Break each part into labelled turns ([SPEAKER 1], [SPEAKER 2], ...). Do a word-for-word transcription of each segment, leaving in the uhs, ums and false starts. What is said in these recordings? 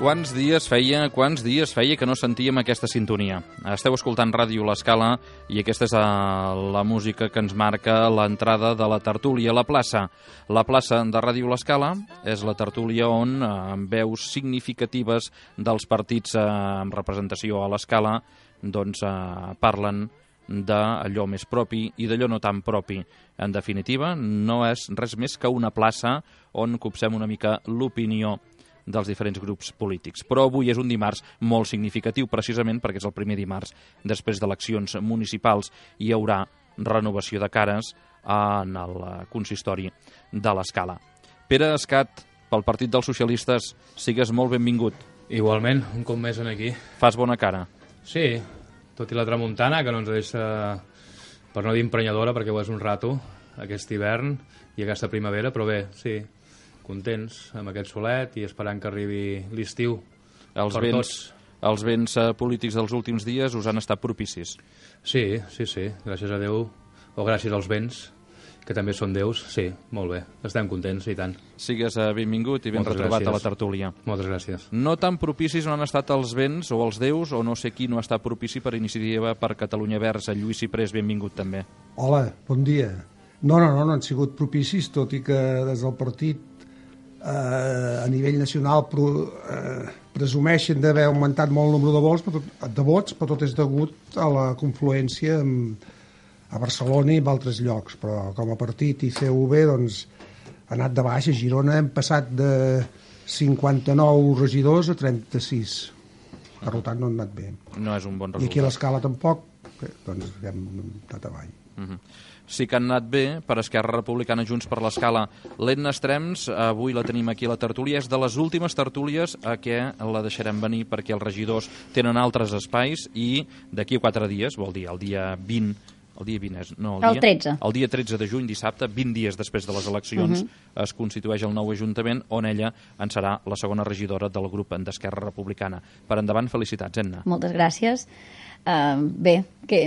[SPEAKER 1] quants dies feia, quants dies feia que no sentíem aquesta sintonia. Esteu escoltant Ràdio L'Escala i aquesta és la música que ens marca l'entrada de la tertúlia a la plaça. La plaça de Ràdio L'Escala és la tertúlia on, amb veus significatives dels partits amb representació a l'Escala, doncs parlen d'allò més propi i d'allò no tan propi. En definitiva, no és res més que una plaça on copsem una mica l'opinió dels diferents grups polítics. Però avui és un dimarts molt significatiu, precisament perquè és el primer dimarts després d'eleccions municipals i hi haurà renovació de cares en el consistori de l'Escala. Pere Escat, pel Partit dels Socialistes, sigues molt benvingut.
[SPEAKER 2] Igualment, un cop més en aquí.
[SPEAKER 1] Fas bona cara.
[SPEAKER 2] Sí, tot i la tramuntana, que no ens deixa, per no dir emprenyadora, perquè ho és un rato, aquest hivern i aquesta primavera, però bé, sí, contents amb aquest solet i esperant que arribi l'estiu
[SPEAKER 1] els
[SPEAKER 2] per
[SPEAKER 1] vents,
[SPEAKER 2] tots.
[SPEAKER 1] Els vents polítics dels últims dies us han estat propicis.
[SPEAKER 2] Sí, sí, sí, gràcies a Déu, o gràcies als vents, que també són déus, sí, molt bé, estem contents i tant.
[SPEAKER 1] Sigues benvingut i ben
[SPEAKER 2] Moltes
[SPEAKER 1] retrobat
[SPEAKER 2] gràcies.
[SPEAKER 1] a la tertúlia.
[SPEAKER 2] Moltes gràcies.
[SPEAKER 1] No tan propicis no han estat els vents o els déus, o no sé qui no ha estat propici per Iniciativa per Catalunya Verds. Lluís Ciprés, benvingut també.
[SPEAKER 3] Hola, bon dia. No, no, no, no han sigut propicis, tot i que des del partit eh, a nivell nacional pro, eh, presumeixen d'haver augmentat molt el nombre de vots, però tot, de vots, però tot és degut a la confluència amb, a Barcelona i en altres llocs. Però com a partit i C U V doncs, ha anat de baix. A Girona hem passat de cinquanta-nou regidors a trenta-sis. Per tant, no han anat bé.
[SPEAKER 1] No és un bon
[SPEAKER 3] I
[SPEAKER 1] resultat.
[SPEAKER 3] aquí a l'Escala tampoc, bé, doncs hem anat avall.
[SPEAKER 1] Uh-huh. Sí que han anat bé per Esquerra Republicana, Junts per l'Escala. L'Edna Estrems, avui la tenim aquí a la tertúlia, és de les últimes tertúlies a què la deixarem venir perquè els regidors tenen altres espais i d'aquí a quatre dies, vol dir el dia vint, el dia vint és, no, el,
[SPEAKER 4] el
[SPEAKER 1] dia,
[SPEAKER 4] tretze.
[SPEAKER 1] El dia tretze de juny, dissabte, vint dies després de les eleccions, uh-huh. es constitueix el nou Ajuntament on ella en serà la segona regidora del grup d'Esquerra Republicana. Per endavant, felicitats, Edna.
[SPEAKER 4] Moltes gràcies. Uh, bé, que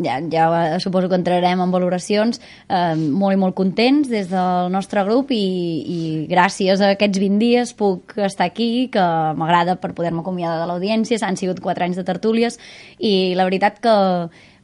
[SPEAKER 4] ja, ja suposo que entrarem en valoracions, uh, molt i molt contents des del nostre grup i, i gràcies a aquests vint dies puc estar aquí, que m'agrada per poder-me acomiadar de l'audiència. Han sigut quatre anys de tertúlies i la veritat que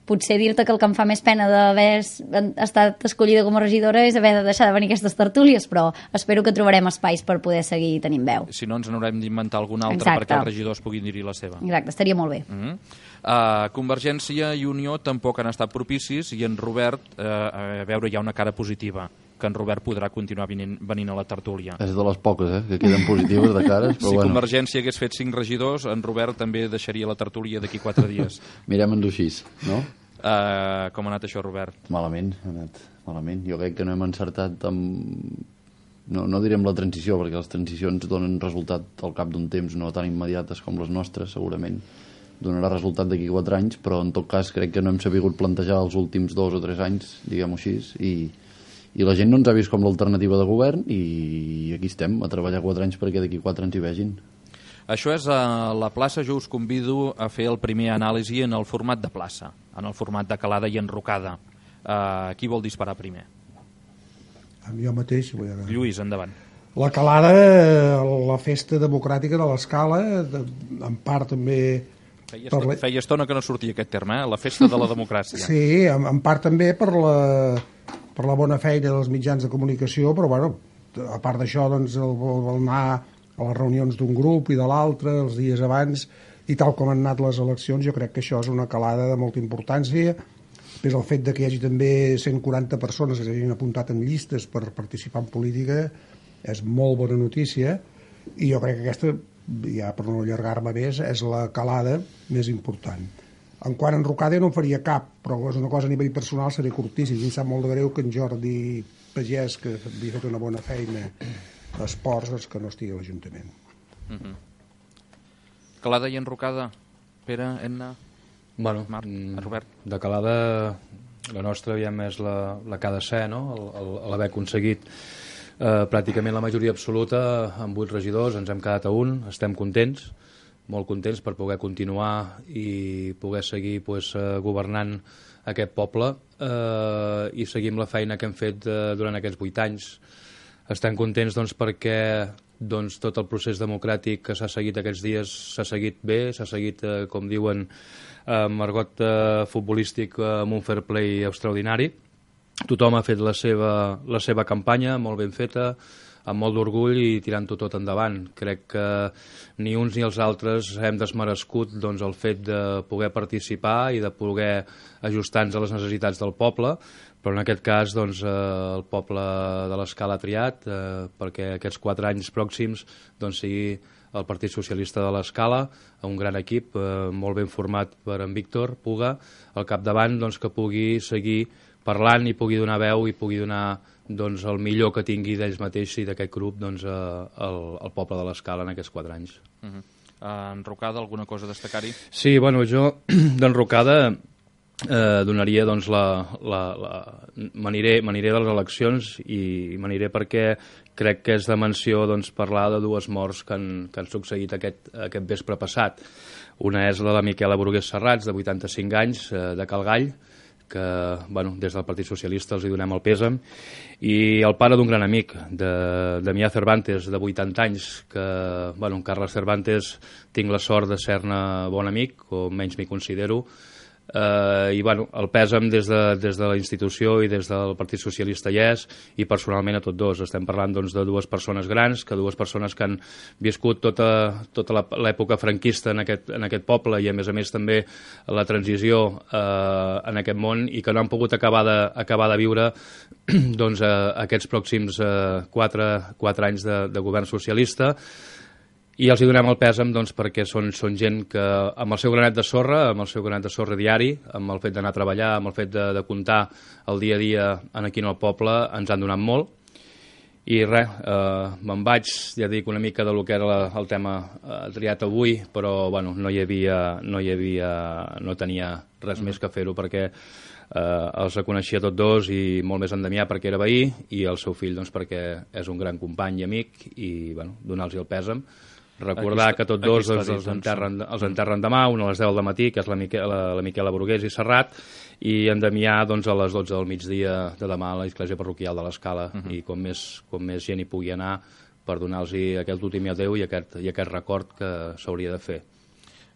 [SPEAKER 4] potser dir-te que el que em fa més pena d'haver estat escollida com a regidora és haver de deixar de venir a aquestes tertúlies, però espero que trobarem espais per poder seguir tenint veu.
[SPEAKER 1] Si no, ens n'haurem d'inventar alguna altra. Exacte. Perquè els regidors puguin dir-hi la seva.
[SPEAKER 4] Exacte, estaria molt bé.
[SPEAKER 1] Mm-hmm. uh, Convergència i Unió tampoc han estat propicis i en Robert, uh, a veure, hi ha una cara positiva, que en Robert podrà continuar venint, venint a la tertúlia.
[SPEAKER 5] És de les poques, eh, que queden positives de cares, però
[SPEAKER 1] si
[SPEAKER 5] bueno.
[SPEAKER 1] Convergència hagués fet cinc regidors, en Robert també deixaria la tertúlia d'aquí quatre dies.
[SPEAKER 5] Mirem-nos així, no?
[SPEAKER 1] Uh, com ha anat això, Robert?
[SPEAKER 5] Malament, ha anat malament. Jo crec que no hem encertat amb... No, no direm la transició, perquè les transicions donen resultat al cap d'un temps, no tan immediates com les nostres, segurament. Donarà resultat d'aquí quatre anys, però en tot cas crec que no hem sabut plantejar els últims dos o tres anys, diguem-ho així, i, i la gent no ens ha vist com l'alternativa de govern i aquí estem, a treballar quatre anys perquè d'aquí quatre ens hi vegin.
[SPEAKER 1] Això és a la plaça. Jo us convido a fer el primer anàlisi en el format de plaça, en el format de calada i enrocada. Uh, qui vol disparar primer?
[SPEAKER 3] Amb jo mateix. Vull dir.
[SPEAKER 1] Lluís, endavant.
[SPEAKER 3] La calada, la festa democràtica de l'Escala, en part també...
[SPEAKER 1] Feia, estona, la... feia estona que no sortia aquest terme, eh? La festa de la democràcia.
[SPEAKER 3] Sí, en, en part també per la, per la bona feina dels mitjans de comunicació, però bueno, a part d'això, doncs, el, el anar a les reunions d'un grup i de l'altre, els dies abans, i tal com han anat les eleccions, jo crec que això és una calada de molta importància. Després el fet de que hi hagi també cent quaranta persones que s'hagin apuntat en llistes per participar en política és molt bona notícia, i jo crec que aquesta, ja per no allargar-me més, és la calada més important. En quant a enrocada no en faria cap, però és una cosa a nivell personal, seria curtíssim. I em sap molt de greu que en Jordi Pagès, que havia fet una bona feina a esports, doncs que no estigui a l'Ajuntament.
[SPEAKER 1] Uh-huh. Calada i enrocada, Pere, Edna,
[SPEAKER 2] bueno,
[SPEAKER 1] Marc, Robert.
[SPEAKER 2] De calada, la nostra aviam és la, la que ha de ser, no? L'haver aconseguit eh, pràcticament la majoria absoluta amb vuit regidors, ens hem quedat a un, estem contents, molt contents per poder continuar i poder seguir pues, eh, governant aquest poble eh, i seguir amb la feina que hem fet eh, durant aquests vuit anys. Estem contents doncs, perquè doncs, tot el procés democràtic que s'ha seguit aquests dies s'ha seguit bé, s'ha seguit, eh, com diuen, amb argot eh, futbolístic, eh, amb un fair play extraordinari. Tothom ha fet la seva, la seva campanya, molt ben feta, amb molt d'orgull i tirant-ho tot endavant. Crec que ni uns ni els altres hem desmerescut doncs, el fet de poder participar i de poder ajustar-nos a les necessitats del poble, però en aquest cas doncs, eh, el poble de l'Escala ha triat eh, perquè aquests quatre anys pròxims doncs, sigui el Partit Socialista de l'Escala, un gran equip eh, molt ben format per en Víctor Puga, al capdavant doncs, que pugui seguir parlant i pugui donar veu i pugui donar doncs, el millor que tingui d'ells mateixos i d'aquest grup doncs, al, al poble de l'Escala en aquests quatre anys.
[SPEAKER 1] Uh -huh. uh, Enrocada, alguna cosa a destacar-hi?
[SPEAKER 2] Sí, bueno, jo d'enrocada eh, donaria doncs, la... la, la m'aniré de les eleccions i m'aniré perquè crec que és de menció doncs, parlar de dues morts que han, que han succeït aquest, aquest vespre passat. Una és la de Miquela Brugués Serrats, de vuitanta-cinc anys, eh, de Calgall, que bueno, des del Partit Socialista els hi donem el pèsam, i el pare d'un gran amic, de Damià Cervantes, de vuitanta anys, que, bueno, en Carles Cervantes tinc la sort de ser-ne bon amic, o menys m'hi considero, eh, i bueno, el pèsam des de, des de la institució i des del Partit Socialista hi és, i personalment a tots dos. Estem parlant doncs, de dues persones grans, que dues persones que han viscut tota, tota l'època franquista en aquest, en aquest poble i a més a més també la transició eh, en aquest món i que no han pogut acabar de, acabar de viure doncs, eh, aquests pròxims eh, quatre, quatre anys de, de govern socialista. I els hi donem el pèsam doncs, perquè són, són gent que amb el seu granet de sorra, amb el seu granet de sorra diari, amb el fet d'anar a treballar, amb el fet de, de comptar el dia a dia en aquí en el poble, ens han donat molt. I res, eh, me'n vaig, ja dic, una mica de lo que era la, el tema eh, triat avui, però bueno, no hi havia, no hi havia, no tenia res mm. més que fer-ho perquè eh, els reconeixia tots dos i molt més en Damià perquè era veí i el seu fill doncs, perquè és un gran company i amic i bueno, donar-los el pèsam. Recordar està, que tots dos doncs, els, enterren, els enterren demà, un a les deu del matí, que és la Miquela, la, la Miquela Brugués i Serrat, i en Damià doncs, a les dotze del migdia de demà a l'església parroquial de l'Escala, uh -huh. i com més, com més gent hi pugui anar per donar-los aquest últim adeu i aquest, i aquest record que s'hauria de fer.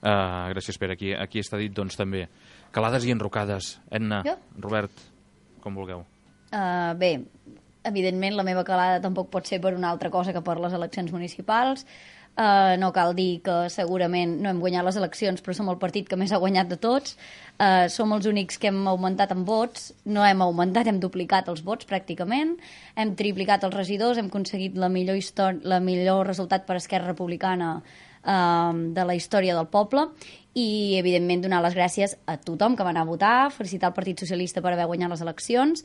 [SPEAKER 1] Uh, gràcies, Pere. Aquí, aquí està dit doncs, també calades i enrocades. Edna, jo? Robert, com vulgueu.
[SPEAKER 4] Uh, bé, evidentment la meva calada tampoc pot ser per una altra cosa que per les eleccions municipals. Uh, no cal dir que segurament no hem guanyat les eleccions, però som el partit que més ha guanyat de tots. Uh, som els únics que hem augmentat en vots. No hem augmentat, hem duplicat els vots pràcticament. Hem triplicat els regidors, hem aconseguit la millor, història, la millor resultat per Esquerra Republicana uh, de la història del poble. I, evidentment, donar les gràcies a tothom que va anar a votar, felicitar el Partit Socialista per haver guanyat les eleccions,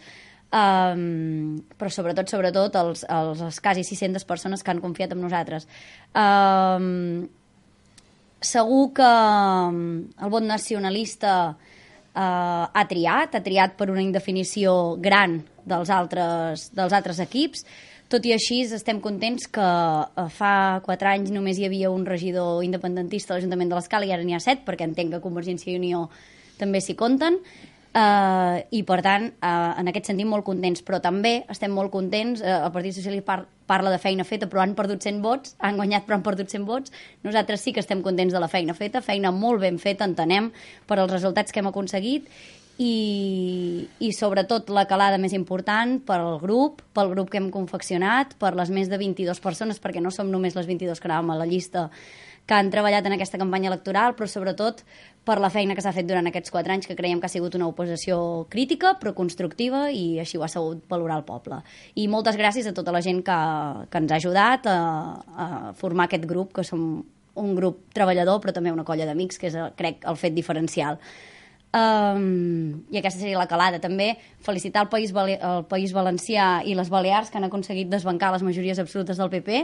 [SPEAKER 4] Um, però sobretot, sobretot els, els, els quasi sis-centes persones que han confiat en nosaltres. Um, segur que el vot nacionalista uh, ha triat, ha triat per una indefinició gran dels altres, dels altres equips. Tot i així, estem contents que uh, fa quatre anys només hi havia un regidor independentista a l'Ajuntament de l'Escala i ara n'hi ha set, perquè entenc que Convergència i Unió també s'hi compten. Uh, i per tant, uh, en aquest sentit molt contents, però també estem molt contents, uh, el Partit Socialista par parla de feina feta però han perdut cent vots, han guanyat però han perdut cent vots. Nosaltres sí que estem contents de la feina feta, feina molt ben feta, entenem, per als resultats que hem aconseguit i, i sobretot la calada més important pel grup, pel grup que hem confeccionat, per les més de vint-i-dues persones, perquè no som només les vint-i-dues que anàvem a la llista que han treballat en aquesta campanya electoral, però sobretot per la feina que s'ha fet durant aquests quatre anys, que creiem que ha sigut una oposició crítica, però constructiva, i així ho ha sabut valorar el poble. I moltes gràcies a tota la gent que, que ens ha ajudat a, a formar aquest grup, que som un grup treballador, però també una colla d'amics, que és, crec, el fet diferencial. Um, I aquesta seria la calada. També felicitar el País, el País Valencià i les Balears, que han aconseguit desbancar les majories absolutes del P P,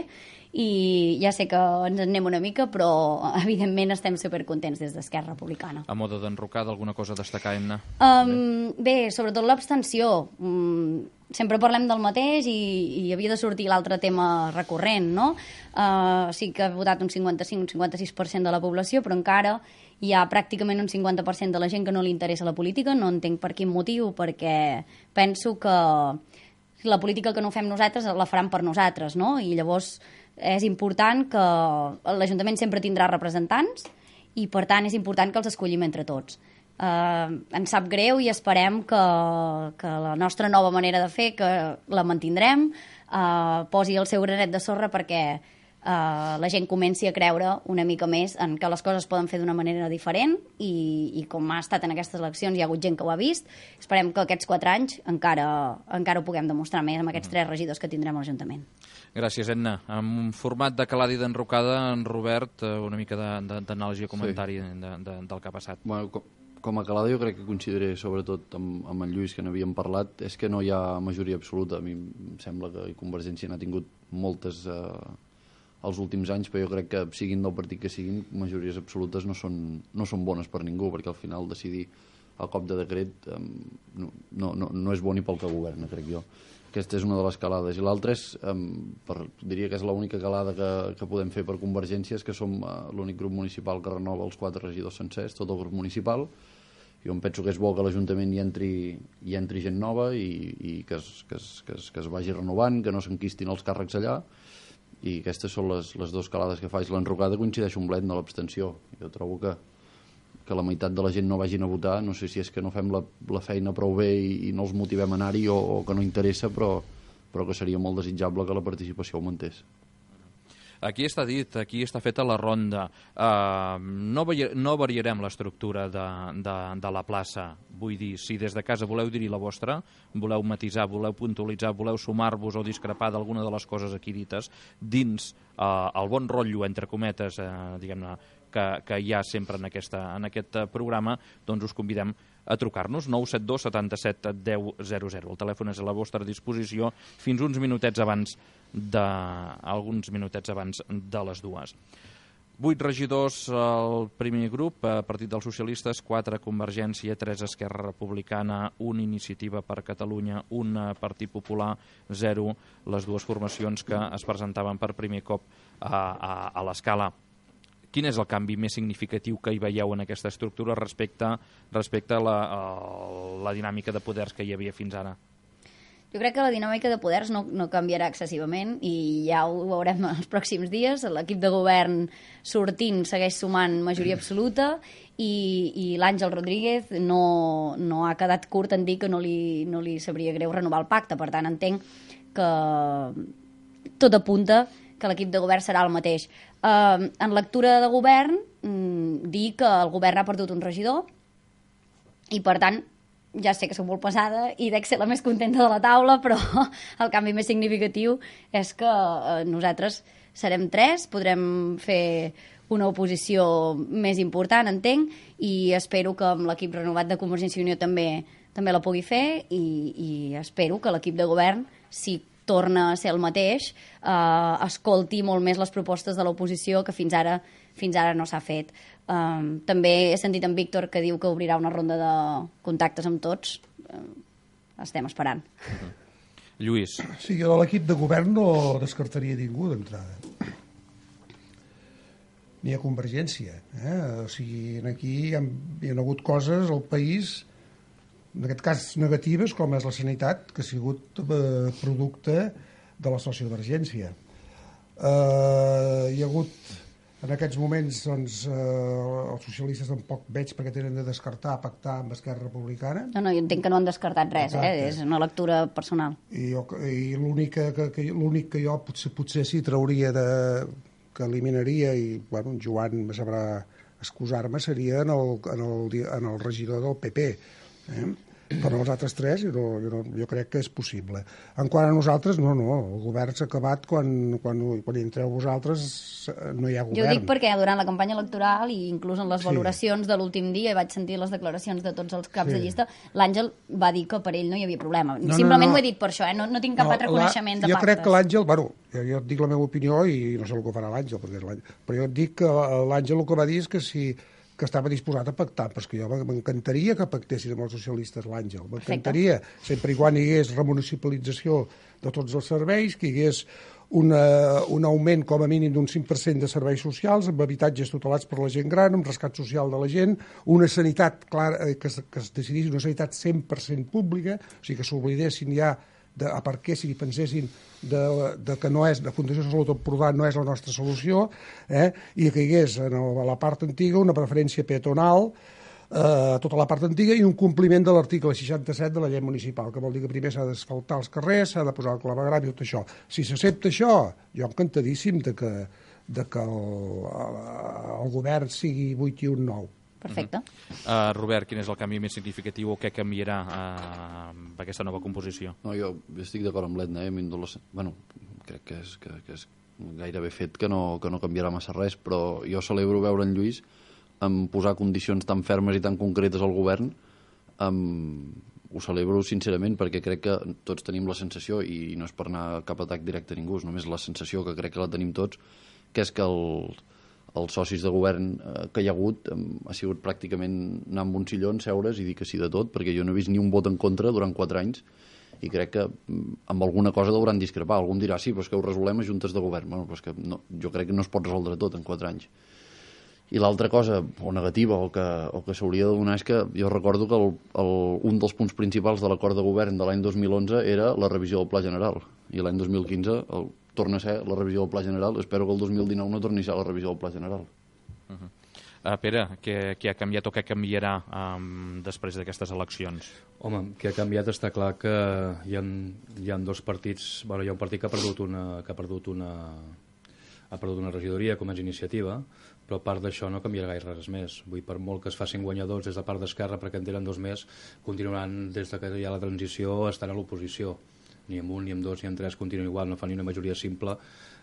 [SPEAKER 4] i ja sé que ens en anem una mica, però evidentment estem supercontents des d'Esquerra Republicana.
[SPEAKER 1] A moda d'enrocada, alguna cosa a destacar, Emna?
[SPEAKER 4] Um, bé, sobretot l'abstenció. Um, sempre parlem del mateix i, i havia de sortir l'altre tema recurrent, no? Uh, sí que ha votat un cinquanta-cinc un cinquanta-sis per cent de la població, però encara hi ha pràcticament un cinquanta per cent de la gent que no li interessa la política. No entenc per quin motiu, perquè penso que la política que no fem nosaltres la faran per nosaltres, no? I llavors és important que l'Ajuntament sempre tindrà representants i, per tant, és important que els escollim entre tots. Uh, ens sap greu i esperem que, que la nostra nova manera de fer, que la mantindrem, uh, posi el seu granet de sorra perquè Uh, la gent comenci a creure una mica més en que les coses poden fer d'una manera diferent i, i com ha estat en aquestes eleccions hi ha hagut gent que ho ha vist. Esperem que aquests quatre anys encara, encara ho puguem demostrar més amb aquests tres regidors que tindrem a l'Ajuntament.
[SPEAKER 1] Gràcies, Edna. En un format de calada i d'enrocada, en Robert, una mica d'anàlisi o comentari sí. de, de, del que ha passat.
[SPEAKER 5] Bueno, com, com a calada jo crec que coincidiré sobretot amb, amb en Lluís, que n'havíem parlat, és que no hi ha majoria absoluta. A mi em sembla que Convergència n'ha tingut moltes eh, els últims anys, però jo crec que siguin del partit que siguin, majories absolutes no són, no són bones per ningú, perquè al final decidir a cop de decret um, no, no, no és bo ni pel que governa, crec jo. Aquesta és una de les calades. I l'altra és, um, per, diria que és l'única calada que, que podem fer per Convergència, és que som uh, l'únic grup municipal que renova els quatre regidors sencers, tot el grup municipal. Jo em penso que és bo que l'Ajuntament hi entri, hi entri gent nova i, i que, es, que, es, que, es, que es vagi renovant, que no s'enquistin els càrrecs allà. I aquestes són les, les dues calades que faig. L'enrocada coincideix un blend de l'abstenció. Jo trobo que, que la meitat de la gent no vagin a votar. No sé si és que no fem la, la feina prou bé i, i no els motivem a anar-hi o, o que no interessa, però, però que seria molt desitjable que la participació augmentés.
[SPEAKER 1] Aquí està dit, aquí està feta la ronda. Uh, no, vari no variarem l'estructura de, de, de la plaça. Vull dir, si des de casa voleu dir-hi la vostra, voleu matisar, voleu puntualitzar, voleu sumar-vos o discrepar d'alguna de les coses aquí dites, dins uh, el bon rotllo, entre cometes, uh, diguem-ne, que, que hi ha sempre en, aquesta, en aquest programa, doncs us convidem a trucar-nos, nou set dos setanta-set deu zero zero. El telèfon és a la vostra disposició fins uns minutets abans de, alguns minutets abans de les dues. Vuit regidors al primer grup, Partit dels Socialistes, quatre Convergència, tres Esquerra Republicana, un Iniciativa per Catalunya, un Partit Popular, zero les dues formacions que es presentaven per primer cop a, a, a l'escala. Quin és el canvi més significatiu que hi veieu en aquesta estructura respecte, respecte a, la, a la dinàmica de poders que hi havia fins ara?
[SPEAKER 4] Jo crec que la dinàmica de poders no, no canviarà excessivament i ja ho veurem els pròxims dies. L'equip de govern sortint segueix sumant majoria absoluta i, i l'Àngel Rodríguez no, no ha quedat curt en dir que no li, no li sabria greu renovar el pacte. Per tant, entenc que tot apunta que l'equip de govern serà el mateix. Uh, en lectura de govern, um, dir que el govern ha perdut un regidor i, per tant, ja sé que soc molt pesada i dec ser la més contenta de la taula, però el canvi més significatiu és que uh, nosaltres serem tres, podrem fer una oposició més important, entenc, i espero que amb l'equip renovat de Convergència i Unió també, també la pugui fer i, i espero que l'equip de govern, si torna a ser el mateix, eh, escolti molt més les propostes de l'oposició que fins ara fins ara no s'ha fet. Um, també he sentit en Víctor que diu que obrirà una ronda de contactes amb tots. Uh, estem esperant.
[SPEAKER 1] Uh-huh. Lluís.
[SPEAKER 3] Sí, jo de l'equip de govern no descartaria ningú d'entrada. Ni a Convergència. Eh? O sigui, aquí hi ha, hi ha hagut coses al país, en aquest cas negatives, com és la sanitat, que ha sigut eh, producte de la sociovergència. Eh, hi ha hagut, en aquests moments, doncs, eh, els socialistes tampoc veig perquè tenen de descartar, pactar amb Esquerra Republicana.
[SPEAKER 4] No, no, jo entenc que no han descartat res, eh? És una lectura personal.
[SPEAKER 3] I, jo, i l'únic que, que, l'únic que jo potser, potser sí trauria de, que eliminaria, i bueno, en Joan me sabrà excusar-me, seria en el, en, el, en el regidor del P P. Eh? Però els altres tres jo, no, jo, no, jo crec que és possible. En quant a nosaltres, no, no, el govern s'ha acabat quan, quan, quan hi entreu vosaltres, no hi ha govern.
[SPEAKER 4] Jo dic perquè durant la campanya electoral i inclús en les sí. valoracions de l'últim dia, vaig sentir les declaracions de tots els caps sí. de llista, l'Àngel va dir que per ell no hi havia problema. No, Simplement no, no. ho he dit per això, eh? no, no tinc cap no, altre coneixement de
[SPEAKER 3] jo
[SPEAKER 4] pactes.
[SPEAKER 3] Jo crec que l'Àngel, bueno, jo, jo et dic la meva opinió i no sé el que farà l'Àngel, però jo et dic que l'Àngel el que va dir és que si que estava disposat a pactar, perquè jo m'encantaria que pactessin amb els socialistes l'Àngel, m'encantaria, sempre i quan hi hagués remunicipalització de tots els serveis, que hi hagués una, un augment com a mínim d'un cinc per cent de serveis socials, amb habitatges tutelats per la gent gran, amb rescat social de la gent, una sanitat clara, que, que es decidís una sanitat cent per cent pública, o sigui que s'oblidessin ja de, a per què si pensessin de, de que no és, de Fundació Salut Empordà no és la nostra solució, eh, i que hi hagués en el, a la part antiga una preferència peatonal a eh, tota la part antiga i un compliment de l'article seixanta-set de la llei municipal, que vol dir que primer s'ha d'asfaltar els carrers, s'ha de posar el clavegram i tot això. Si s'accepta això, jo encantadíssim de que, de que el, el govern sigui vuit i un nou.
[SPEAKER 4] Perfecte.
[SPEAKER 1] Uh -huh. uh, Robert, quin és el canvi més significatiu o què canviarà uh, amb aquesta nova composició?
[SPEAKER 5] No, jo estic d'acord amb l'Edna, eh? La... Bueno, crec que és, que, que és gairebé fet que no, que no canviarà massa res, però jo celebro veure en Lluís en posar condicions tan fermes i tan concretes al govern. Um, ho celebro sincerament perquè crec que tots tenim la sensació, i no és per anar cap atac directe a ningú, és només la sensació que crec que la tenim tots, que és que el, els socis de govern eh, que hi ha hagut um, ha sigut pràcticament anar amb un sillon, seure's i dir que sí de tot, perquè jo no he vist ni un vot en contra durant quatre anys i crec que amb alguna cosa hauran discrepar. Algú em dirà, sí, però és que ho resolem a juntes de govern. Bueno, però és que no, jo crec que no es pot resoldre tot en quatre anys. I l'altra cosa, o negativa, o que, o que s'hauria de donar, és que jo recordo que el, el, un dels punts principals de l'acord de govern de l'any dos mil onze era la revisió del Pla General, i l'any dos mil quinze el, torna a ser la revisió del Pla General. Espero que el dos mil dinou no torni a ser la revisió del Pla General.
[SPEAKER 1] Uh -huh. uh, Pere, què, què ha canviat o què canviarà um, després d'aquestes eleccions?
[SPEAKER 2] Home, que ha canviat està clar que hi ha, hi ha dos partits. Bueno, hi ha un partit que ha perdut una, que ha perdut una, ha perdut una regidoria, com és Iniciativa, però a part d'això no canviarà gaire res més. Vull dir, per molt que es facin guanyadors des de part d'Esquerra, perquè en tenen dos més, continuaran, des de que hi ha la transició, estan a l'oposició. Ni amb un, ni amb dos, ni amb tres continuen igual, no fan ni una majoria simple,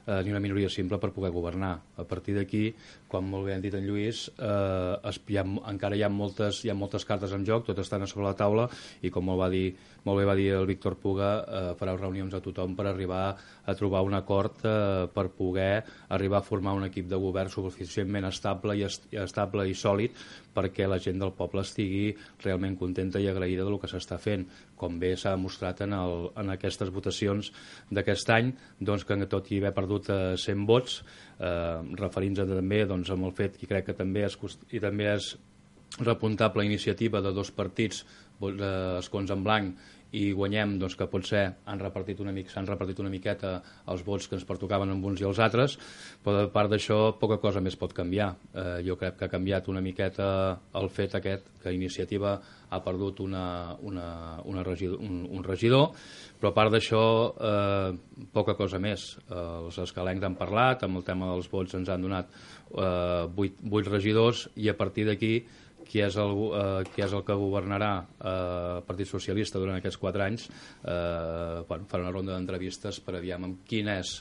[SPEAKER 2] eh, ni una minoria simple per poder governar. A partir d'aquí, com molt bé han dit en Lluís, eh, es, hi ha, encara hi ha, moltes, hi ha moltes cartes en joc, totes estan a sobre la taula, i com molt, va dir, molt bé va dir el Víctor Puga, eh, farà reunions a tothom per arribar a trobar un acord eh, per poder arribar a formar un equip de govern suficientment estable i, est estable i sòlid perquè la gent del poble estigui realment contenta i agraïda del que s'està fent, com bé s'ha demostrat en, el, en aquestes votacions d'aquest any, doncs, que tot i haver perdut eh, cent vots, eh, referint-se també doncs, amb el fet que crec que també és, i també és repuntable iniciativa de dos partits, eh, escons en blanc, i guanyem, doncs, que potser han repartit una mica, s'han repartit una miqueta els vots que ens pertocaven amb uns i els altres, però a part d'això poca cosa més pot canviar. Eh, jo crec que ha canviat una miqueta el fet aquest, que Iniciativa ha perdut una, una, una regidor, un, un regidor, però a part d'això eh, poca cosa més. Eh, els escalencs han parlat, amb el tema dels vots ens han donat eh, vuit, vuit regidors, i a partir d'aquí qui és, el, eh, qui és el que governarà eh, el Partit Socialista durant aquests quatre anys, eh, bueno, farà una ronda d'entrevistes per aviam amb quin és,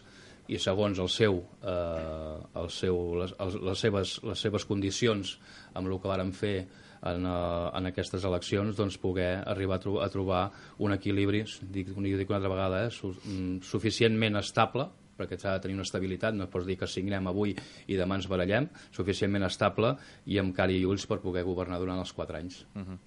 [SPEAKER 2] i segons el seu, eh, el seu, les, les, seves, les seves condicions amb el que varen fer en, uh, en aquestes eleccions, doncs poder arribar a, tro a trobar un equilibri, dic, dic una altra vegada, eh, su suficientment estable, perquè s'ha de tenir una estabilitat, no pots dir que signem avui i demà ens barallem, suficientment estable i amb cara i ulls per poder governar durant els quatre anys.
[SPEAKER 1] Uh -huh.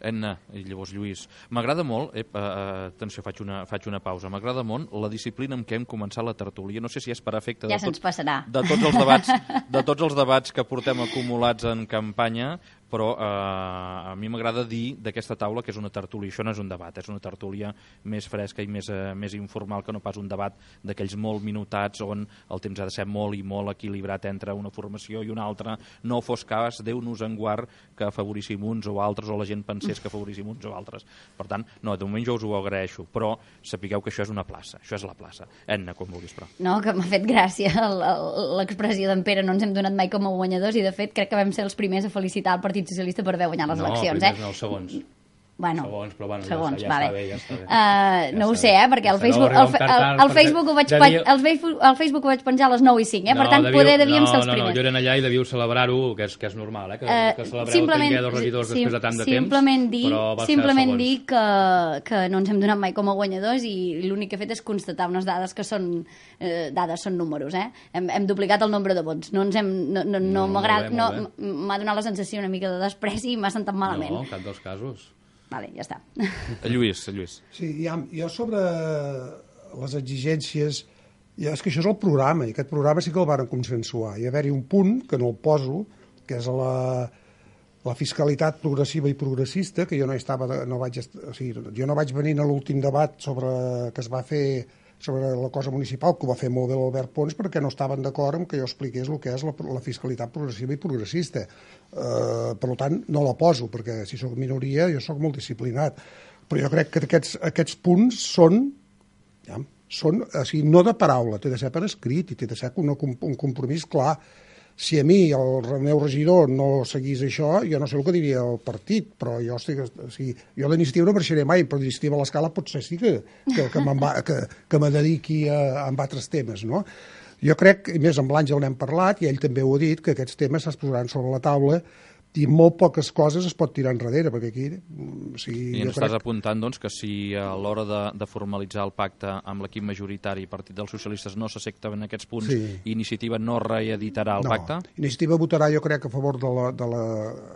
[SPEAKER 1] Enna, i llavors Lluís, m'agrada molt, eh, uh, atenció, faig una, faig una pausa, m'agrada molt la disciplina amb què hem començat la tertúlia, no sé si és per efecte
[SPEAKER 4] ja
[SPEAKER 1] de, tot,
[SPEAKER 4] passarà.
[SPEAKER 1] de, tots els debats, de tots els debats que portem acumulats en campanya, però eh, a mi m'agrada dir d'aquesta taula que és una tertúlia, això no és un debat, és una tertúlia més fresca i més, eh, més informal que no pas un debat d'aquells molt minutats on el temps ha de ser molt i molt equilibrat entre una formació i una altra, no fos cas, Déu-nos en guard, que afavoríssim uns o altres o la gent pensés que afavoríssim uns o altres. Per tant, no, de moment jo us ho agraeixo, però sapigueu que això és una plaça, això és la plaça. Enna, com vulguis, però.
[SPEAKER 4] No, que m'ha fet gràcia l'expressió d'en Pere, no ens hem donat mai com a guanyadors i de fet crec que vam ser els primers a felicitar el Partit Socialista per haver guanyat les
[SPEAKER 2] no,
[SPEAKER 4] eleccions.
[SPEAKER 2] No, primers
[SPEAKER 4] eh?
[SPEAKER 2] no, segons.
[SPEAKER 4] Bueno,
[SPEAKER 2] segons, però bueno,
[SPEAKER 4] segons,
[SPEAKER 2] ja, ja
[SPEAKER 4] vale.
[SPEAKER 2] està bé, ja està bé.
[SPEAKER 4] Uh,
[SPEAKER 2] ja
[SPEAKER 4] no ho
[SPEAKER 2] està
[SPEAKER 4] sé, eh, perquè
[SPEAKER 2] ja
[SPEAKER 4] al Facebook,
[SPEAKER 2] no,
[SPEAKER 4] el, el, el, Facebook ho vaig
[SPEAKER 2] ja
[SPEAKER 4] pen, el, Facebook, el Facebook ho vaig penjar a les nou i cinc, eh? Per
[SPEAKER 2] no,
[SPEAKER 4] tant,
[SPEAKER 2] devíeu,
[SPEAKER 4] poder devíem
[SPEAKER 2] no,
[SPEAKER 4] ser els
[SPEAKER 2] no,
[SPEAKER 4] primers.
[SPEAKER 2] No, jo era allà i devíeu celebrar-ho, que, és, que és normal, eh? Que,
[SPEAKER 4] uh,
[SPEAKER 2] que celebreu tenir dos regidors
[SPEAKER 4] sí,
[SPEAKER 2] després de tant de
[SPEAKER 4] simplement
[SPEAKER 2] temps,
[SPEAKER 4] dir,
[SPEAKER 2] però va
[SPEAKER 4] simplement
[SPEAKER 2] ser
[SPEAKER 4] dir que, que no ens hem donat mai com a guanyadors i l'únic que he fet és constatar unes dades que són eh, dades, són números, eh? Hem, hem duplicat el nombre de vots. No ens hem, no, no, no, no m'agrada, no, m'ha donat la sensació una mica de despreci i m'ha sentat malament.
[SPEAKER 2] No, en cap dels casos.
[SPEAKER 4] Vale, ja està.
[SPEAKER 1] Lluís, Lluís.
[SPEAKER 3] Sí, ja, jo sobre les exigències, ja és que això és el programa, i aquest programa sí que el van consensuar. Hi ha haver-hi un punt, que no el poso, que és la, la fiscalitat progressiva i progressista, que jo no estava, no vaig, o sigui, jo no vaig venir a l'últim debat sobre que es va fer sobre la cosa municipal, que ho va fer molt bé l'Albert Pons, perquè no estaven d'acord amb que jo expliqués el que és la, la fiscalitat progressiva i progressista. Uh, per tant, no la poso, perquè si sóc minoria jo sóc molt disciplinat. Però jo crec que aquests, aquests punts són, ja, són o sigui, no de paraula, té de ser per escrit i té de ser un, un compromís clar. Si a mi el meu regidor no seguís això, jo no sé el que diria el partit, però jo estic, o sigui, jo d'iniciativa no marxaré mai, però d'iniciativa a l'escala potser sí que, que, que, va, que, que me dediqui a, a altres temes, no? Jo crec, i més amb l'Àngel n'hem parlat, i ell també ho ha dit, que aquests temes es posaran sobre la taula i molt poques coses es pot tirar enrere, perquè aquí... O sigui,
[SPEAKER 1] I ens
[SPEAKER 3] jo crec...
[SPEAKER 1] estàs apuntant, doncs, que si a l'hora de, de formalitzar el pacte amb l'equip majoritari Partit dels Socialistes no s'accepten aquests punts,
[SPEAKER 3] Sí.
[SPEAKER 1] i Iniciativa no reeditarà el
[SPEAKER 3] no.
[SPEAKER 1] pacte?
[SPEAKER 3] Iniciativa votarà, jo crec, a favor de, la, de, la,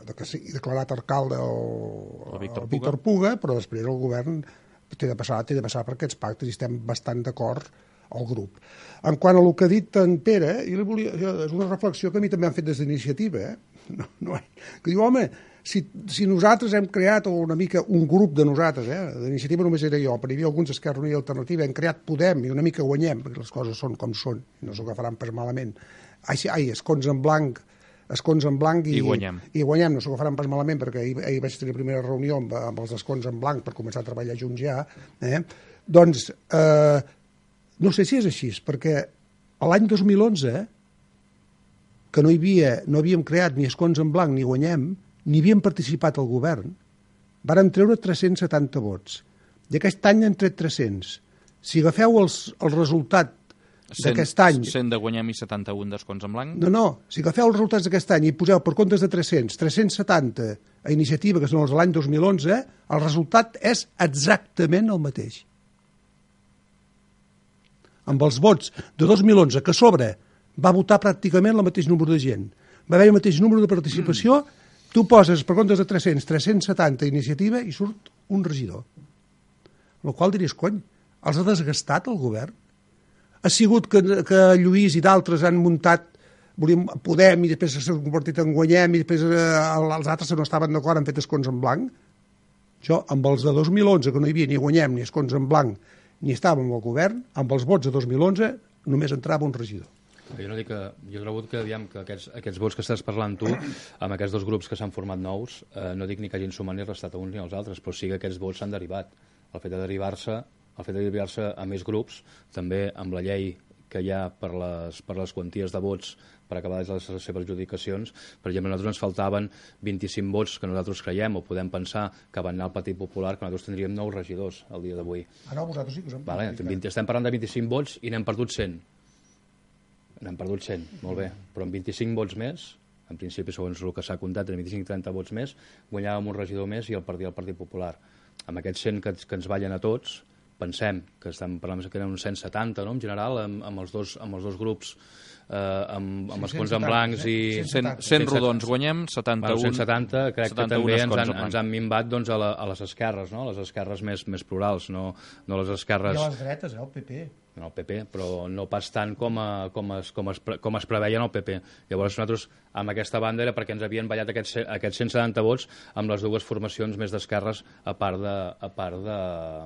[SPEAKER 3] de que sigui declarat alcalde el,
[SPEAKER 1] El Víctor
[SPEAKER 3] el Víctor Puga, però després el govern té de passar, té de passar per aquests pactes i estem bastant d'acord al grup. En quant a el que ha dit en Pere, jo li volia, jo, és una reflexió que a mi també han fet des d'Iniciativa, eh? No, no, que diu, home, si, si nosaltres hem creat una mica un grup de nosaltres, eh? D'Iniciativa només era jo, però hi havia alguns d'Esquerra Unida i Alternativa, hem creat Podem i una mica guanyem, perquè les coses són com són, no s'ho agafaran pas malament. Ai, sí, ai, escons en blanc, escons en blanc i,
[SPEAKER 1] I guanyem.
[SPEAKER 3] I guanyem, no s'ho agafaran pas malament, perquè ahir, ahir vaig tenir la primera reunió amb, amb els escons en blanc per començar a treballar junts ja. Eh? Doncs, eh, no sé si és així, perquè l'any dos mil onze, eh, que no, hi havia, no havíem creat ni escons en blanc ni guanyem, ni havíem participat al govern, varen treure tres-cents setanta vots. I aquest any han tret tres-cents. Si agafeu els, el resultat d'aquest any...
[SPEAKER 1] cent de guanyem i setanta-un d'escons en blanc?
[SPEAKER 3] No, no, si agafeu els resultats d'aquest any i poseu per comptes de tres-cents, tres-cents setanta a Iniciativa, que són els de l'any dos mil onze, el resultat és exactament el mateix. Amb els vots de dos mil onze, que a sobre va votar pràcticament el mateix número de gent, va haver el mateix número de participació, mm. tu poses per comptes de tres-cents, tres-cents setanta Iniciativa i surt un regidor. El qual diries, cony, els ha desgastat el govern? Ha sigut que, que Lluís i d'altres han muntat volíem, Podem i després s'ha convertit en Guanyem i després eh, els altres no estaven d'acord, han fet escons en blanc. Jo, amb els de dos mil onze, que no hi havia ni Guanyem ni escons en blanc, ni estàvem al govern, amb els vots de dos mil onze només entrava un regidor.
[SPEAKER 2] Jo no dic que, jo he trobat que, diguem, que aquests, aquests vots que estàs parlant tu, amb aquests dos grups que s'han format nous, eh, no dic ni que hagin sumat ni restat a uns ni als altres, però sí que aquests vots s'han derivat. El fet de derivar-se, el fet de derivar-se a més grups, també amb la llei que hi ha per les, per les quanties de vots per acabar les, les seves adjudicacions. Per exemple, a nosaltres ens faltaven vint-i-cinc vots que nosaltres creiem o podem pensar que van anar al Partit Popular, que nosaltres tindríem nou regidors el dia d'avui.
[SPEAKER 3] Ah, no, vosaltres sí que us hem
[SPEAKER 2] vale, estem parlant de vint-i-cinc vots i n'hem perdut cent. N'hem perdut cent, molt bé, però amb vint-i-cinc vots més, en principi, segons el que s'ha comptat, amb vint-i-cinc trenta vots més, guanyàvem un regidor més i el perdia el Partit Popular. Amb aquests cent que, que ens ballen a tots, pensem que estem parlant que eren uns cent setanta, no?, en general, amb, amb, els, dos, amb els dos grups, eh, amb, amb
[SPEAKER 3] sí,
[SPEAKER 2] escons en blancs i...
[SPEAKER 1] cent, cent rodons guanyem, setanta-un...
[SPEAKER 2] Bueno, cent setanta, crec que també ens han, ens han minvat doncs, a, la, a les esquerres, no?, les esquerres més, més plurals, no, no les esquerres...
[SPEAKER 3] I a les dretes, eh, el P P.
[SPEAKER 2] En el P P, però no pas tant com, a, com, es, com, es, com es preveia en el P P. Llavors nosaltres, amb aquesta banda, era perquè ens havien ballat aquests, aquests cent setanta vots amb les dues formacions més d'esquerres, a part de, a part de,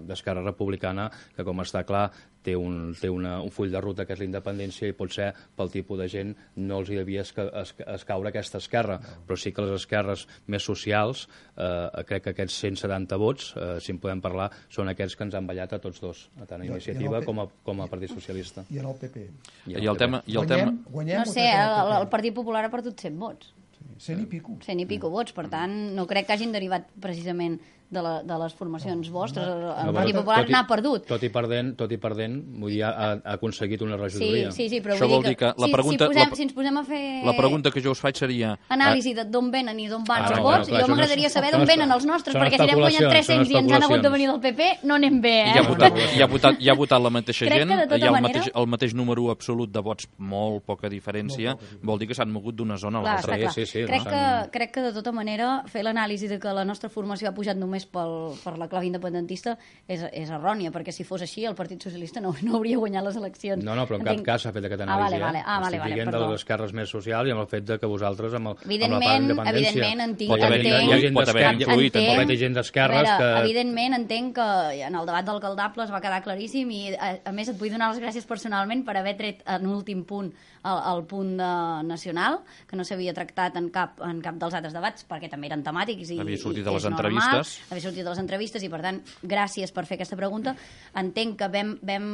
[SPEAKER 2] d'Esquerra Republicana, que, com està clar, té, un, té una, un full de ruta que és la independència i potser pel tipus de gent no els hi devia esca, esca, escaure aquesta esquerra, però sí que les esquerres més socials, eh, crec que aquests cent setanta vots, eh, si en podem parlar, són aquests que ens han ballat a tots dos, tant a Iniciativa com a, com a Partit Socialista.
[SPEAKER 3] I en el P P.
[SPEAKER 1] I el, I el tema... I el
[SPEAKER 3] guanyem,
[SPEAKER 1] tema...
[SPEAKER 3] guanyem,
[SPEAKER 4] no sé, el, el Partit Popular ha perdut cent vots.
[SPEAKER 3] Cent i pico.
[SPEAKER 4] Cent i pico vots, per tant, no crec que hagin derivat precisament de, la, de les formacions vostres. El, el
[SPEAKER 2] no,
[SPEAKER 4] Partit
[SPEAKER 2] tot,
[SPEAKER 4] Popular
[SPEAKER 2] tot i,
[SPEAKER 4] n'ha perdut.
[SPEAKER 2] Tot i perdent, tot i perdent, vull dir, ha, ha aconseguit una regidoria.
[SPEAKER 4] Sí, sí, sí, però
[SPEAKER 1] Això
[SPEAKER 4] vull
[SPEAKER 1] vol dir que la
[SPEAKER 4] si,
[SPEAKER 1] pregunta,
[SPEAKER 4] si, posem,
[SPEAKER 1] la,
[SPEAKER 4] si ens posem a fer...
[SPEAKER 1] La pregunta que jo us faig seria...
[SPEAKER 4] Anàlisi de d'on venen i d'on van
[SPEAKER 2] Ah,
[SPEAKER 4] els
[SPEAKER 2] no,
[SPEAKER 4] vots,
[SPEAKER 2] no, clar,
[SPEAKER 4] jo m'agradaria
[SPEAKER 2] no,
[SPEAKER 4] saber
[SPEAKER 2] són
[SPEAKER 4] d'on
[SPEAKER 2] espe-
[SPEAKER 4] venen els nostres,
[SPEAKER 2] són
[SPEAKER 4] perquè si n'hem guanyat
[SPEAKER 2] especulacions,
[SPEAKER 4] tres-cents i ens han hagut de
[SPEAKER 2] especulacions.
[SPEAKER 4] venir del P P, no anem bé, eh?
[SPEAKER 1] I ha votat, hi ha votat, hi ha votat la mateixa
[SPEAKER 4] Crec
[SPEAKER 1] gent,
[SPEAKER 4] que de tota
[SPEAKER 1] hi ha el
[SPEAKER 4] manera-
[SPEAKER 1] mateix, el mateix número absolut de vots, molt poca diferència, vol dir que s'han mogut d'una zona a
[SPEAKER 4] Clar,
[SPEAKER 1] l'altra.
[SPEAKER 4] està clar.
[SPEAKER 2] Sí, sí, sí,
[SPEAKER 4] crec,
[SPEAKER 2] no,
[SPEAKER 4] que,
[SPEAKER 2] s'han-
[SPEAKER 4] crec que de tota manera fer l'anàlisi de que la nostra formació ha pujat només només pel, per la clau independentista és, és errònia, perquè si fos així el Partit Socialista no, no hauria guanyat les eleccions.
[SPEAKER 2] No, no, però en
[SPEAKER 4] Entenc...
[SPEAKER 2] cap cas s'ha fet aquest
[SPEAKER 4] Ah,
[SPEAKER 2] anàlisi.
[SPEAKER 4] vale, vale. Ah, vale,
[SPEAKER 2] Estic
[SPEAKER 4] vale,
[SPEAKER 2] dient
[SPEAKER 4] perdó.
[SPEAKER 2] de les esquerres més socials i amb el fet de que vosaltres, amb, el, amb la part
[SPEAKER 4] Evidentment,
[SPEAKER 2] d'independència...
[SPEAKER 4] evidentment, entenc...
[SPEAKER 1] Pot haver-hi
[SPEAKER 4] entenc-
[SPEAKER 1] influït,
[SPEAKER 2] hi ha gent
[SPEAKER 1] pot haver-hi
[SPEAKER 2] d'esquerres,
[SPEAKER 1] influït,
[SPEAKER 2] pot haver-hi gent d'esquerres
[SPEAKER 4] A veure,
[SPEAKER 2] que...
[SPEAKER 4] Evidentment, entenc que en el debat d'alcaldables va quedar claríssim i, a, a més, et vull donar les gràcies personalment per haver tret en últim punt el, el punt de nacional, que no s'havia tractat en cap, en cap dels altres debats, perquè també eren temàtics i,
[SPEAKER 1] Havia sortit
[SPEAKER 4] i
[SPEAKER 1] de les
[SPEAKER 4] és normal,
[SPEAKER 1] entrevistes.
[SPEAKER 4] havia sortit de les entrevistes i, per tant, gràcies per fer aquesta pregunta. Entenc que vam, vam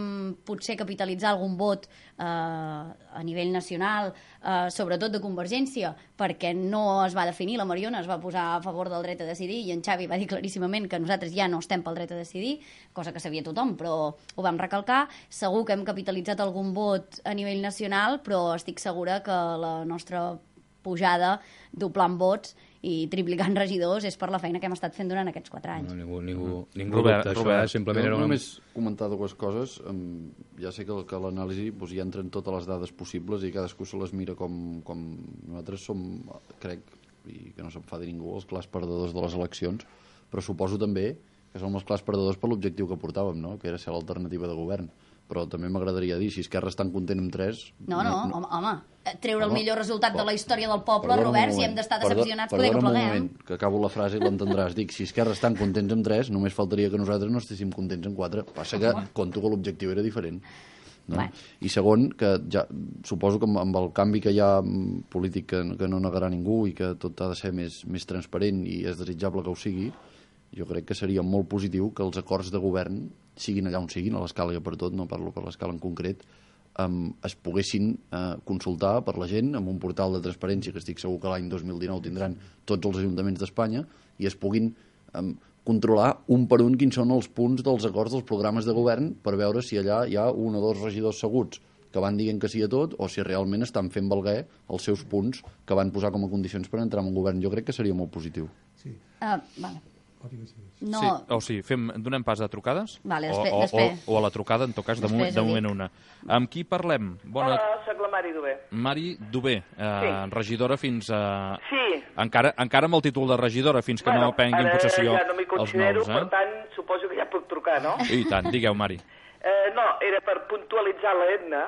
[SPEAKER 4] potser capitalitzar algun vot eh, a nivell nacional, eh, sobretot de Convergència, perquè no es va definir, la Mariona es va posar a favor del dret a decidir i en Xavi va dir claríssimament que nosaltres ja no estem pel dret a decidir, cosa que sabia tothom, però ho vam recalcar. Segur que hem capitalitzat algun vot a nivell nacional, però estic segura que la nostra pujada doblant vots i triplicant regidors és per la feina que hem estat fent durant aquests quatre anys.
[SPEAKER 2] No, ningú ningú, ningú
[SPEAKER 1] Robert,
[SPEAKER 2] dubta, això,
[SPEAKER 1] Robert,
[SPEAKER 2] eh? Simplement
[SPEAKER 5] Jo
[SPEAKER 2] era una...
[SPEAKER 5] només comentar dues coses. Um, ja sé que, que l'anàlisi doncs, hi entren totes les dades possibles i cadascú se les mira com, com... Nosaltres som, crec, i que no s'enfadi ningú, els clars perdedors de les eleccions, però suposo també que som els clars perdedors per l'objectiu que portàvem, no? Que era ser l'alternativa de govern. Però també m'agradaria dir, si Esquerra és tan content amb tres...
[SPEAKER 4] No, no, no. home, home, treure el
[SPEAKER 5] No,
[SPEAKER 4] millor resultat de la història del poble,
[SPEAKER 5] Perdona un
[SPEAKER 4] Robert, si
[SPEAKER 5] moment.
[SPEAKER 4] hem d'estar
[SPEAKER 5] Perdó-
[SPEAKER 4] decepcionats, poder que
[SPEAKER 5] perdona un
[SPEAKER 4] pleguem.
[SPEAKER 5] moment, que acabo la frase i l'entendràs. Dic, si Esquerra estan contents amb tres, només faltaria que nosaltres no estéssim contents amb quatre. Passa que conto que l'objectiu era diferent. No?
[SPEAKER 4] Bueno.
[SPEAKER 5] I segon, que ja, suposo que amb, amb el canvi que hi ha mm, polític que, que no negarà ningú i que tot ha de ser més, més transparent i és desitjable que ho sigui, jo crec que seria molt positiu que els acords de govern, siguin allà on siguin, a l'escala que per tot, no parlo per l'escala en concret, um, es poguessin uh, consultar per la gent amb un portal de transparència que estic segur que l'any dos mil dinou tindran tots els ajuntaments d'Espanya i es puguin um, controlar un per un quins són els punts dels acords dels programes de govern per veure si allà hi ha un o dos regidors seguts que van dient que sí a tot o si realment estan fent valer els seus punts que van posar com a condicions per entrar en un govern. Jo crec que seria molt positiu.
[SPEAKER 3] Sí.
[SPEAKER 4] Uh, vale. No,
[SPEAKER 1] Sí, o sigui, fem, donem pas a trucades?
[SPEAKER 4] Vale,
[SPEAKER 1] o,
[SPEAKER 4] després-
[SPEAKER 1] o,
[SPEAKER 4] després.
[SPEAKER 1] o, o a la trucada, en tot cas, de,
[SPEAKER 4] Després
[SPEAKER 1] moment, de
[SPEAKER 4] ho dic.
[SPEAKER 1] moment una. Amb qui parlem? Bona...
[SPEAKER 6] Hola, soc la Mari Dubé.
[SPEAKER 1] Mari Dubé, eh,
[SPEAKER 6] Sí.
[SPEAKER 1] regidora fins a...
[SPEAKER 6] Sí.
[SPEAKER 1] Encara, encara amb el títol de regidora, fins que no prenguin
[SPEAKER 6] ara
[SPEAKER 1] possessió
[SPEAKER 6] ja no m'hi
[SPEAKER 1] els
[SPEAKER 6] considero,
[SPEAKER 1] nous, eh?
[SPEAKER 6] per tant, suposo que ja puc trucar, no?
[SPEAKER 1] I tant, digueu, Mari.
[SPEAKER 6] Eh, no, era per puntualitzar l'Edna,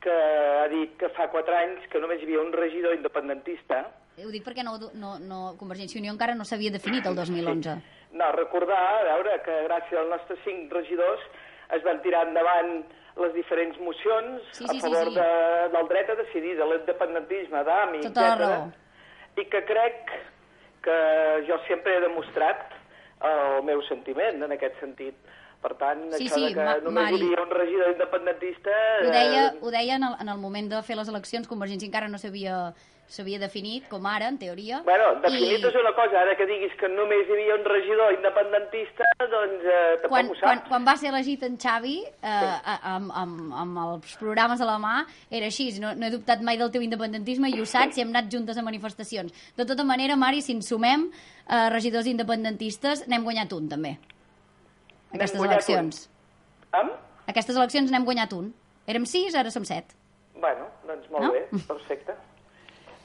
[SPEAKER 6] que ha dit que fa quatre anys que només hi havia un regidor independentista.
[SPEAKER 4] ho dic perquè no, no, no, Convergència i Unió encara no s'havia definit el dos mil onze.
[SPEAKER 6] No, recordar, a veure, que gràcies als nostres cinc regidors es van tirar endavant les diferents mocions
[SPEAKER 4] Sí, sí,
[SPEAKER 6] a favor
[SPEAKER 4] sí, sí.
[SPEAKER 6] De, del dret a decidir, de l'independentisme, d'A M I,
[SPEAKER 4] Tota la
[SPEAKER 6] etcètera.
[SPEAKER 4] raó.
[SPEAKER 6] I que crec que jo sempre he demostrat el meu sentiment en aquest sentit. Per tant,
[SPEAKER 4] Sí,
[SPEAKER 6] això
[SPEAKER 4] sí,
[SPEAKER 6] de que
[SPEAKER 4] Ma-
[SPEAKER 6] només
[SPEAKER 4] Mari.
[SPEAKER 6] hi havia un regidor independentista...
[SPEAKER 4] Ho deia,
[SPEAKER 6] eh,
[SPEAKER 4] ho deia en, el, en el moment de fer les eleccions, Convergència encara no s'havia s'havia definit, com ara, en teoria.
[SPEAKER 6] Bueno, definit
[SPEAKER 4] i
[SPEAKER 6] és una cosa, ara que diguis que només hi havia un regidor independentista, doncs eh, tampoc
[SPEAKER 4] quan,
[SPEAKER 6] ho
[SPEAKER 4] quan,
[SPEAKER 6] saps.
[SPEAKER 4] quan va ser elegit en Xavi, eh, amb, amb, amb els programes a la mà, era així, no, no he dubtat mai del teu independentisme i ho saps i hem anat juntes a manifestacions. De tota manera, Mari, si ens sumem eh, regidors independentistes, n'hem guanyat un, també. Aquestes
[SPEAKER 6] guanyat
[SPEAKER 4] eleccions.
[SPEAKER 6] Amb?
[SPEAKER 4] Aquestes eleccions n'hem guanyat un. Érem sis, ara som set.
[SPEAKER 6] Bueno, doncs molt
[SPEAKER 4] No?
[SPEAKER 6] bé, perfecte.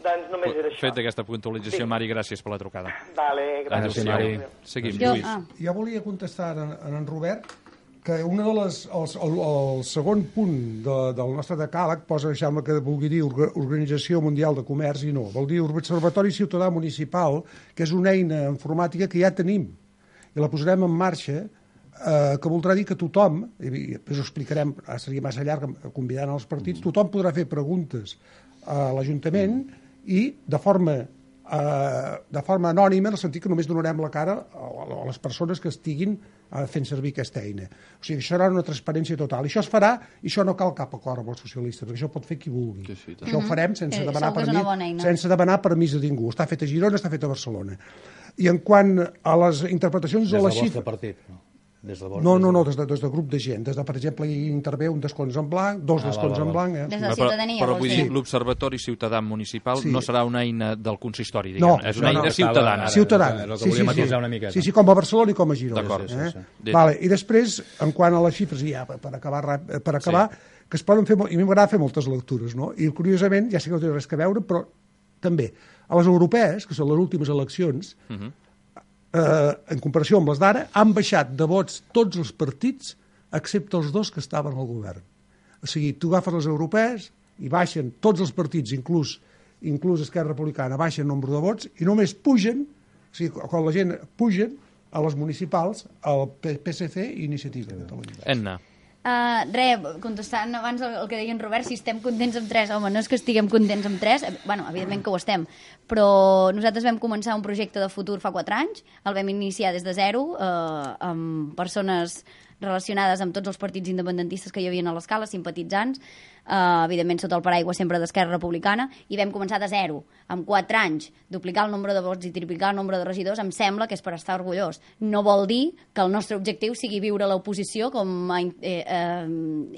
[SPEAKER 6] Doncs només era això.
[SPEAKER 1] Fet aquesta puntualització,
[SPEAKER 6] Sí.
[SPEAKER 1] Mari, gràcies per la trucada.
[SPEAKER 6] Vale, gràcies.
[SPEAKER 2] Gràcies, Mari.
[SPEAKER 1] Seguim,
[SPEAKER 4] Jo,
[SPEAKER 1] Lluís.
[SPEAKER 4] ah,
[SPEAKER 3] Jo volia contestar en, en, en Robert que una de les, els, el, el segon punt de, del nostre decàleg posa, deixeu-me que vulgui dir Orga- Organització Mundial de Comerç i no, vol dir Observatori Ciutadà Municipal, que és una eina informàtica que ja tenim i la posarem en marxa, eh, que voldrà dir que tothom, i després ho explicarem, ara seria massa llarg convidant els partits, tothom podrà fer preguntes a l'Ajuntament i de forma eh, de forma anònima, en el sentit que només donarem la cara a, a les persones que estiguin eh, fent servir aquesta eina. O sigui, això serà una transparència total. I això es farà, i això no cal cap acord amb els socialistes, perquè això pot fer qui vulgui.
[SPEAKER 5] Sí, sí, tant.
[SPEAKER 3] Això ho farem sense,
[SPEAKER 4] Eh,
[SPEAKER 3] demanar
[SPEAKER 4] segur que és una bona
[SPEAKER 3] permís,
[SPEAKER 4] eina.
[SPEAKER 3] sense demanar permís de ningú. Està fet a Girona, està fet a Barcelona. I en quant a les interpretacions
[SPEAKER 2] Des
[SPEAKER 3] de
[SPEAKER 2] del
[SPEAKER 3] la
[SPEAKER 2] vostre
[SPEAKER 3] xifra...
[SPEAKER 2] partit, no? Des de vostre,
[SPEAKER 3] No, no, no, des de, des de grup de gent. Des de, per exemple, hi intervé un descons en blanc, dos
[SPEAKER 2] Ah,
[SPEAKER 3] descons
[SPEAKER 2] val, val,
[SPEAKER 3] en blanc. Eh?
[SPEAKER 4] Des de la
[SPEAKER 1] Però,
[SPEAKER 4] ciutadania,
[SPEAKER 1] però
[SPEAKER 4] vols
[SPEAKER 1] vull
[SPEAKER 4] dir?
[SPEAKER 1] dir, l'Observatori Ciutadà Municipal
[SPEAKER 3] Sí.
[SPEAKER 1] no serà una eina del consistori,
[SPEAKER 3] No,
[SPEAKER 1] diguem. és
[SPEAKER 3] no,
[SPEAKER 1] una
[SPEAKER 3] no,
[SPEAKER 1] eina
[SPEAKER 3] estava-
[SPEAKER 1] ciutadana.
[SPEAKER 2] ara-
[SPEAKER 3] Ciutadana.
[SPEAKER 2] és el que volia matisar una miqueta.
[SPEAKER 3] Sí, sí, com a Barcelona i com a Girona.
[SPEAKER 1] D'acord,
[SPEAKER 3] eh?
[SPEAKER 1] sí, sí.
[SPEAKER 3] Vale, i després, en quant a les xifres, i ja per per acabar, rap- per acabar sí. que es poden fer, molt- i a mi m'agrada fer moltes lectures, no? I curiosament, ja sé que no té res a veure, però també, a les europees, que són les últimes eleccions,
[SPEAKER 1] Uh -huh.
[SPEAKER 3] eh, en comparació amb les d'ara, han baixat de vots tots els partits excepte els dos que estaven al govern. O sigui, tu agafes les europees i baixen tots els partits, inclús, inclús Esquerra Republicana, baixen nombre de vots i només pugen, o sigui, quan la gent pugen a les municipals, al P S C i Iniciativa de Catalunya.
[SPEAKER 1] Enna.
[SPEAKER 4] Uh, re, contestant abans el, el que deia en Robert, si estem contents amb tres, home, no és que estiguem contents amb tres, bueno, evidentment que ho estem, però nosaltres vam començar un projecte de futur fa quatre anys, el vam iniciar des de zero, uh, amb persones relacionades amb tots els partits independentistes que hi havia a l'escala, simpatitzants, uh, evidentment sota el paraigua sempre d'Esquerra Republicana, i vam començar de zero. En quatre anys, duplicar el nombre de vots i triplicar el nombre de regidors, em sembla que és per estar orgullós. No vol dir que el nostre objectiu sigui viure a l'oposició, com ha eh, eh,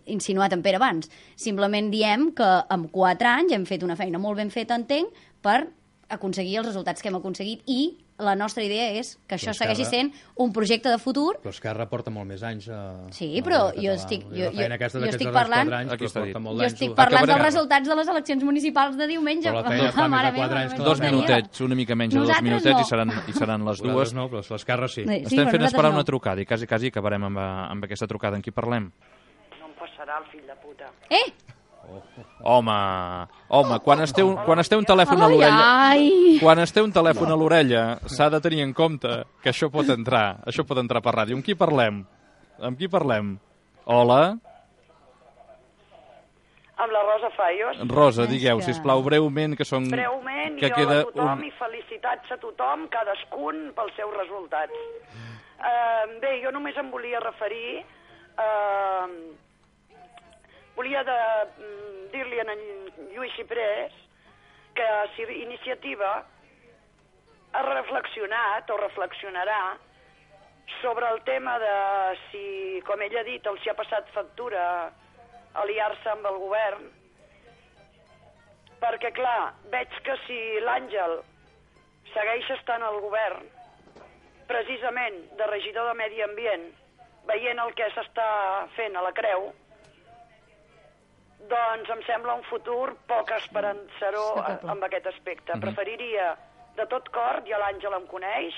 [SPEAKER 4] insinuat en Pere abans. Simplement diem que en quatre anys hem fet una feina molt ben feta, entenc, per aconseguir els resultats que hem aconseguit, i la nostra idea és que això segueixi sent un projecte de futur.
[SPEAKER 2] Però Esquerra porta molt més anys a...
[SPEAKER 4] Sí, però jo estic, jo, jo, jo estic parlant,
[SPEAKER 2] anys,
[SPEAKER 1] jo
[SPEAKER 4] estic parlant dels resultats de les eleccions municipals de diumenge.
[SPEAKER 2] Però la feina fa més de quatre anys.
[SPEAKER 1] Dos minutets, una mica menys de dos minutets, no. i, seran, i seran les dues.
[SPEAKER 2] No, però l'Esquerra sí.
[SPEAKER 1] sí. Estem fent esperar no. una trucada i quasi, quasi acabarem amb, amb aquesta trucada. En qui parlem?
[SPEAKER 6] No em passarà el fill de puta.
[SPEAKER 4] Eh!
[SPEAKER 1] Home, home, quan es té un, quan es té un telèfon a l'orella, quan es té un telèfon a l'orella, s'ha de tenir en compte que això pot entrar, això pot entrar per ràdio. Amb qui parlem? Amb qui parlem? Hola?
[SPEAKER 6] Amb la Rosa Fallos.
[SPEAKER 1] Rosa, digueu, sisplau, breument, que són...
[SPEAKER 6] Breument,
[SPEAKER 1] que
[SPEAKER 6] jo
[SPEAKER 1] queda
[SPEAKER 6] a tothom
[SPEAKER 1] un...
[SPEAKER 6] i felicitats a tothom, cadascun pels seus resultats. Uh, bé, jo només em volia referir... Uh, volia de, dir-li a en Lluís Xiprés que si Iniciativa ha reflexionat o reflexionarà sobre el tema de si, com ell ha dit, els hi ha passat factura aliar-se amb el govern, perquè, clar, veig que si l'Àngel segueix estant al govern, precisament de regidor de Medi Ambient, veient el que s'està fent a la Creu, doncs em sembla un futur poc esperançador amb aquest aspecte. Mm-hmm. Preferiria de tot cor, ja l'Àngel em coneix,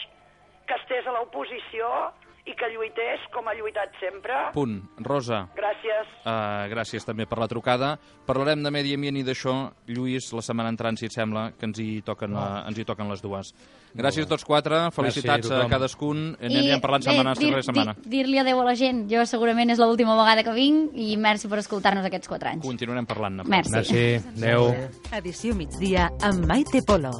[SPEAKER 6] que estés a l'oposició i que lluités com ha lluitat sempre.
[SPEAKER 1] Punt. Rosa.
[SPEAKER 6] Gràcies.
[SPEAKER 1] Uh, gràcies també per la trucada. Parlarem de medi ambient i d'això, Lluís, la setmana entrant, si et sembla, que ens hi toquen, uh, ens hi toquen les dues. Gràcies a tots quatre, felicitats a, a cadascun. I anirem parlant setmana dir, dir, setmana.
[SPEAKER 4] Dir-li adeu a la gent, jo segurament és l'última vegada que vinc, i merci per escoltar-nos aquests quatre anys.
[SPEAKER 1] Continuarem parlant.
[SPEAKER 4] Merci.
[SPEAKER 2] Merci. Adeu.
[SPEAKER 7] Edició migdia amb Maite Polo.